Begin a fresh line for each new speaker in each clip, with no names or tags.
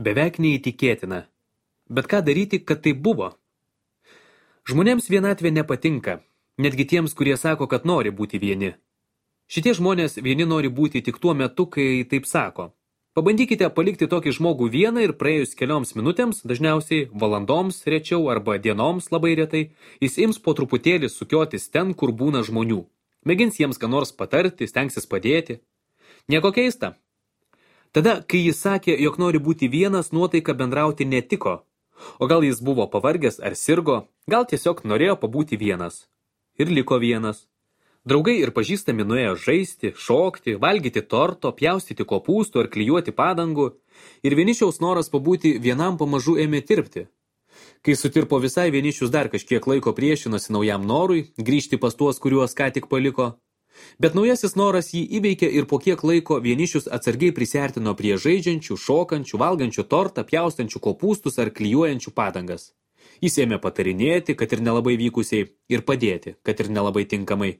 Beveik neįtikėtina. Bet ką daryti, kad tai buvo? Žmonėms vienatvė nepatinka, netgi tiems, kurie sako, kad nori būti vieni. Šitie žmonės vieni nori būti tik tuo metu, kai taip sako. Pabandykite palikti tokį žmogų vieną ir praėjus kelioms minutėms, dažniausiai valandoms rečiau arba dienoms labai retai, jis ims po truputėlį sukiotis ten, kur būna žmonių. Mėgins jiems ką nors patarti, stengsis padėti. Nieko keista. Tada, kai jis sakė, jog nori būti vienas, nuotaika bendrauti netiko. O gal jis buvo pavargęs ar sirgo, gal tiesiog norėjo pabūti vienas. Ir liko vienas. Draugai ir pažįstami nuėjo žaisti, šokti, valgyti torto, pjaustyti kopūstų ar klijuoti padangų, ir vienišiaus noras pabūti vienam pamažu ėmė tirpti. Kai sutirpo visai, vienišius dar kažkiek laiko priešinosi naujam norui, grįžti pas tuos, kuriuos ką tik paliko. Bet naujasis noras jį įveikė ir po kiek laiko vienišius atsargiai prisiartino prie žaidžiančių, šokančių, valgančių tortą, pjaustančių kopūstus ar klijuojančių padangas. Jis ėmė patarinėti, kad ir nelabai vykusiai, ir padėti, kad ir nelabai tinkamai.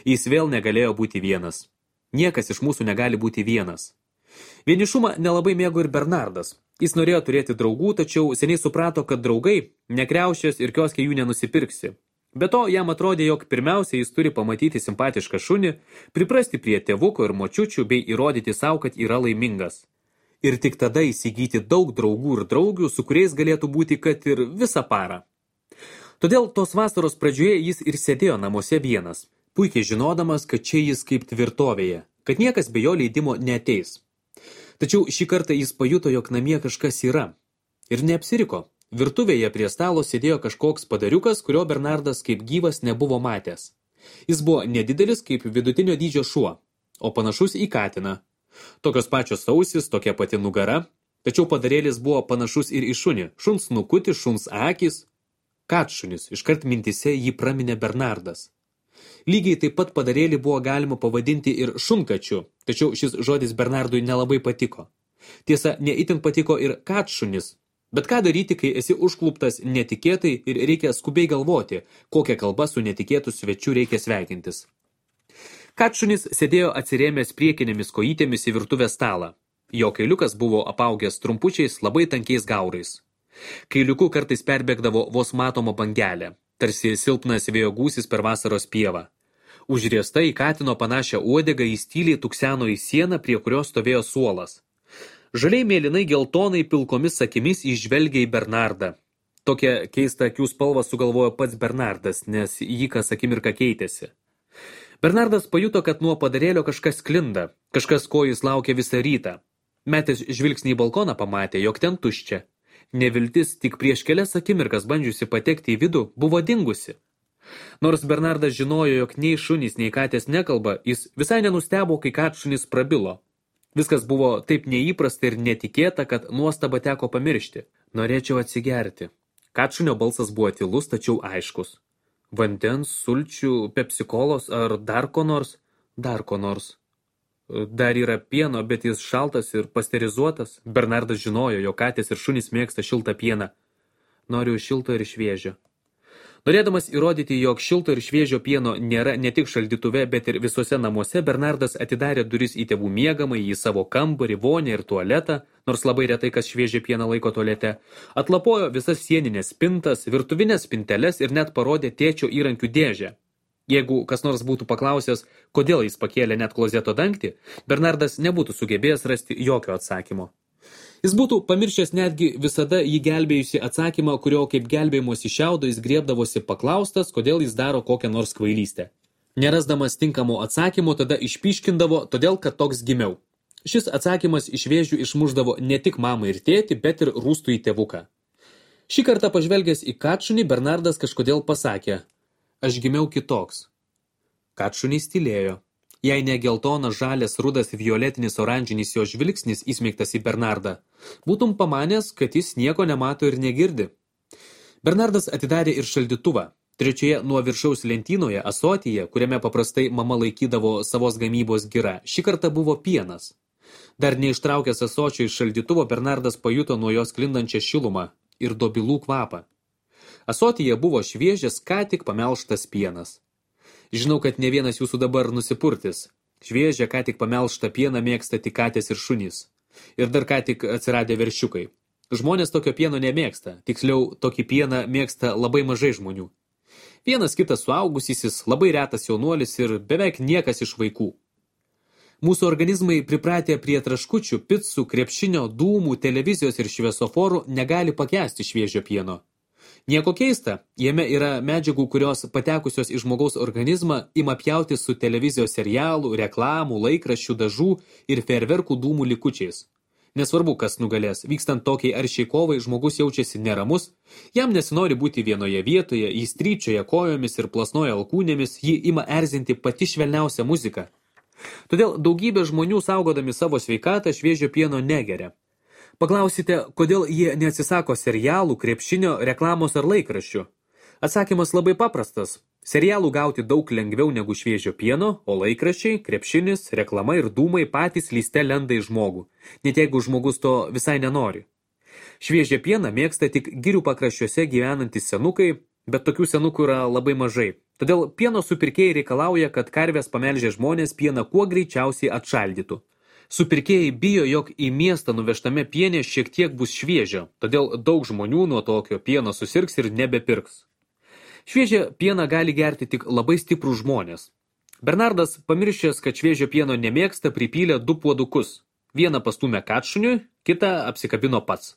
Jis vėl negalėjo būti vienas. Niekas iš mūsų negali būti vienas. Vienišumą nelabai mėgo ir Bernardas. Jis norėjo turėti draugų, tačiau seniai suprato, kad draugai nekriaušės ir kioske jų nenusipirksi. Be to, jam atrodė, jog pirmiausia jis turi pamatyti simpatišką šunį, priprasti prie tėvuko ir močiučių bei įrodyti savo, kad yra laimingas. Ir tik tada įsigyti daug draugų ir draugių, su kuriais galėtų būti kad ir visą parą. Todėl tos vasaros pradžioje jis ir sėdėjo namuose vienas, puikiai žinodamas, kad čia jis kaip tvirtovėje, kad niekas be jo leidimo neateis. Tačiau šį kartą jis pajuto, jog namie kažkas yra. Ir neapsiriko. Virtuvėje prie stalo sėdėjo kažkoks padariukas, kurio Bernardas kaip gyvas nebuvo matęs. Jis buvo nedidelis kaip vidutinio dydžio šuo, o panašus į katiną. Tokios pačios ausis, tokia pati nugara, tačiau padarėlis buvo panašus ir į šunį, šuns nukutis, šuns akys. Katšunis, iškart mintise jį praminė Bernardas. Lygiai taip pat padarėlį buvo galima pavadinti ir šunkačiu, tačiau šis žodis Bernardui nelabai patiko. Tiesa, neitin patiko ir katšunis. Bet ką daryti, kai esi užkluptas netikėtai ir reikia skubiai galvoti, kokią kalbą su netikėtu svečiu reikia sveikintis. Katšunis sėdėjo atsirėmęs priekinėmis kojytėmis į virtuvės stalą. Jo kailiukas buvo apaugęs trumpučiais, labai tankiais gaurais. Kailiuku kartais perbėgdavo vos matoma bangelė, tarsi silpnas vėjo gūsis per vasaros pievą. Užriesta į katino panašią uodegą jis tyliai tukseno į sieną, prie kurios stovėjo suolas. Žaliai mėlynai geltonai pilkomis akimis įžvelgė į Bernardą. Tokią keistą akių spalvą sugalvojo pats Bernardas, nes jį kas akimirką keitėsi. Bernardas pajuto, kad nuo padarėlio kažkas sklinda, kažkas, ko jis laukė visą rytą. Metęs žvilgsnį į balkoną pamatė, jog ten tuščia. Neviltis tik prieš kelias akimirkas bandžiusi patekti į vidų buvo dingusi. Nors Bernardas žinojo, jog nei šunys, nei katės nekalba, jis visai nenustebo, kai katšunis prabilo. Viskas buvo taip neįprasta ir netikėta, kad nuostabą teko pamiršti. Norėčiau atsigerti. Katšunio balsas buvo tylus, tačiau aiškus. Vandens, sulčių, pepsikolos ar dar ko nors? Dar ko nors. Dar yra pieno, bet jis šaltas ir pasterizuotas. Bernardas žinojo, jo katės ir šunys mėgsta šiltą pieną. Noriu šilto ir šviežio. Norėdamas įrodyti, jog šilto ir šviežio pieno nėra ne tik šaldytuve, bet ir visuose namuose, Bernardas atidarė duris į tėvų miegamąjį, į savo kambarį, vonę ir tualetą, nors labai retai kas šviežią pieną laiko tualete, atlapojo visas sieninės spintas, virtuvinės spinteles ir net parodė tėčio įrankių dėžę. Jeigu kas nors būtų paklausęs, kodėl jis pakėlė net klozeto dangtį, Bernardas nebūtų sugebėjęs rasti jokio atsakymo. Jis būtų pamiršęs netgi visada jį gelbėjusi atsakymą, kurio kaip gelbėjimosi šiaudo jis griebdavosi paklaustas, kodėl jis daro kokią nors kvailystę. Nerasdamas tinkamo atsakymo, tada išpyškindavo, todėl kad toks gimiau. Šis atsakymas iš vėžių išmuždavo ne tik mamą ir tėtį, bet ir rūstų į tėvuką. Šį kartą pažvelgęs į katšunį, Bernardas kažkodėl pasakė, aš gimiau kitoks. Katšunys tylėjo. Jei ne geltonas, žalias, rudas, violetinis, oranžinis jo žvilgsnis įsmeigtas į Bernardą, būtum pamanęs, kad jis nieko nemato ir negirdi. Bernardas atidarė ir šaldytuvą. Trečioje nuo viršaus lentynoje, asotyje, kuriame paprastai mama laikydavo savos gamybos girą, šį kartą buvo pienas. Dar neištraukęs asočio iš šaldytuvo, Bernardas pajuto nuo jos sklindančią šilumą ir dobilų kvapą. Asotyje buvo šviežias, ką tik pamelžtas pienas. Žinau, kad ne vienas jūsų dabar nusipurtis. Šviežią, ką tik pamelžtą pieną mėgsta tik katės ir šunys. Ir dar ką tik atsiradę veršiukai. Žmonės tokio pieno nemėgsta, tiksliau, tokį pieną mėgsta labai mažai žmonių. Vienas kitas suaugusysis, labai retas jaunuolis ir beveik niekas iš vaikų. Mūsų organizmai pripratę prie traškučių, picų, krepšinio, dūmų, televizijos ir šviesoforų negali pakęsti šviežio pieno. Nieko keista, jame yra medžiagų, kurios patekusios į žmogaus organizmą ima pjauti su televizijos serialų, reklamų, laikraščių, dažų ir fejerverkų dūmų likučiais. Nesvarbu, kas nugalės, vykstant tokiai aršiai kovai, žmogus jaučiasi neramus, jam nesinori būti vienoje vietoje, jis tryčioja kojomis ir plasnoja alkūnėmis, jį ima erzinti pati švelniausia muzika. Todėl daugybė žmonių saugodami savo sveikatą šviežio pieno negeria. Paklausite, kodėl jie neatsisako serialų, krepšinio, reklamos ar laikraščių? Atsakymas labai paprastas. Serialų gauti daug lengviau negu šviežio pieno, o laikraščiai, krepšinis, reklama ir dūmai patys lyste lenda į žmogų, net jeigu žmogus to visai nenori. Šviežią pieną mėgsta tik girių pakraščiuose gyvenantys senukai, bet tokių senukų yra labai mažai. Todėl pieno supirkėjai reikalauja, kad karvės pamelžę žmonės pieną kuo greičiausiai atšaldytų. Supirkėjai bijo, jog į miestą nuvežtame piene šiek tiek bus šviežio, todėl daug žmonių nuo tokio pieno susirgs ir nebepirks. Šviežią pieną gali gerti tik labai stiprų žmonės. Bernardas, pamiršęs, kad šviežio pieno nemėgsta, pripylė 2 puodukus. Vieną pastūmė kačšuniui, kitą apsikabino pats.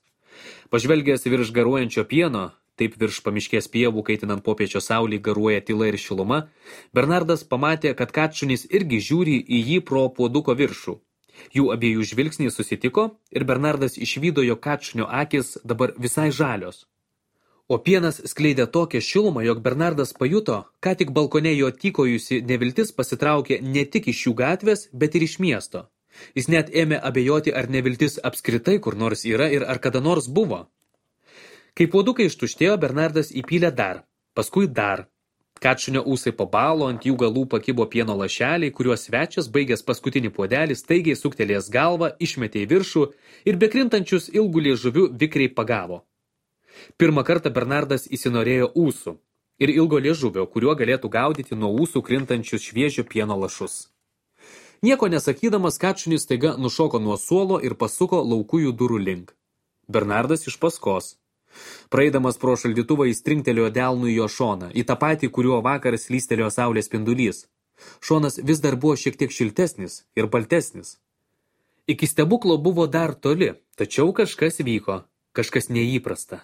Pažvelgęs virš garuojančio pieno, taip virš pamiškės pievų, kaitinant popiečio saulį, garuoja tyla ir šiluma, Bernardas pamatė, kad kačšunis irgi žiūri į jį pro puoduko viršų. Jų abiejų žvilgsniai susitiko ir Bernardas išvydo, jog kačšunio akis dabar visai žalios. O pienas skleidė tokią šilumą, jog Bernardas pajuto, ką tik balkone jo tykojusi neviltis pasitraukė ne tik iš jų gatvės, bet ir iš miesto. Jis net ėmė abejoti, ar neviltis apskritai kur nors yra ir ar kada nors buvo. Kai puodukai ištuštėjo, Bernardas įpylė dar, paskui dar. Kačšunio ūsai pabalo, ant jų galų pakibo pieno lašeliai, kuriuos svečias, baigęs paskutinį puodelį, staigiai suktelėjęs galvą, išmetė į viršų ir bekrintančius ilgų liežuvių vikriai pagavo. Pirmą kartą Bernardas įsinorėjo ūsų ir ilgo liežuvio, kuriuo galėtų gaudyti nuo ūsų krintančius šviežio pieno lašus. Nieko nesakydamas, kačšunis staiga nušoko nuo suolo ir pasuko laukujų durų link. Bernardas iš paskos. Praeidamas pro šaldytuvą jis trinktelėjo delnu į jo šoną, į tą patį, kuriuo vakar slystelėjo saulės spindulys. Šonas vis dar buvo šiek tiek šiltesnis ir baltesnis. Iki stebuklo buvo dar toli, tačiau kažkas vyko, kažkas neįprasta.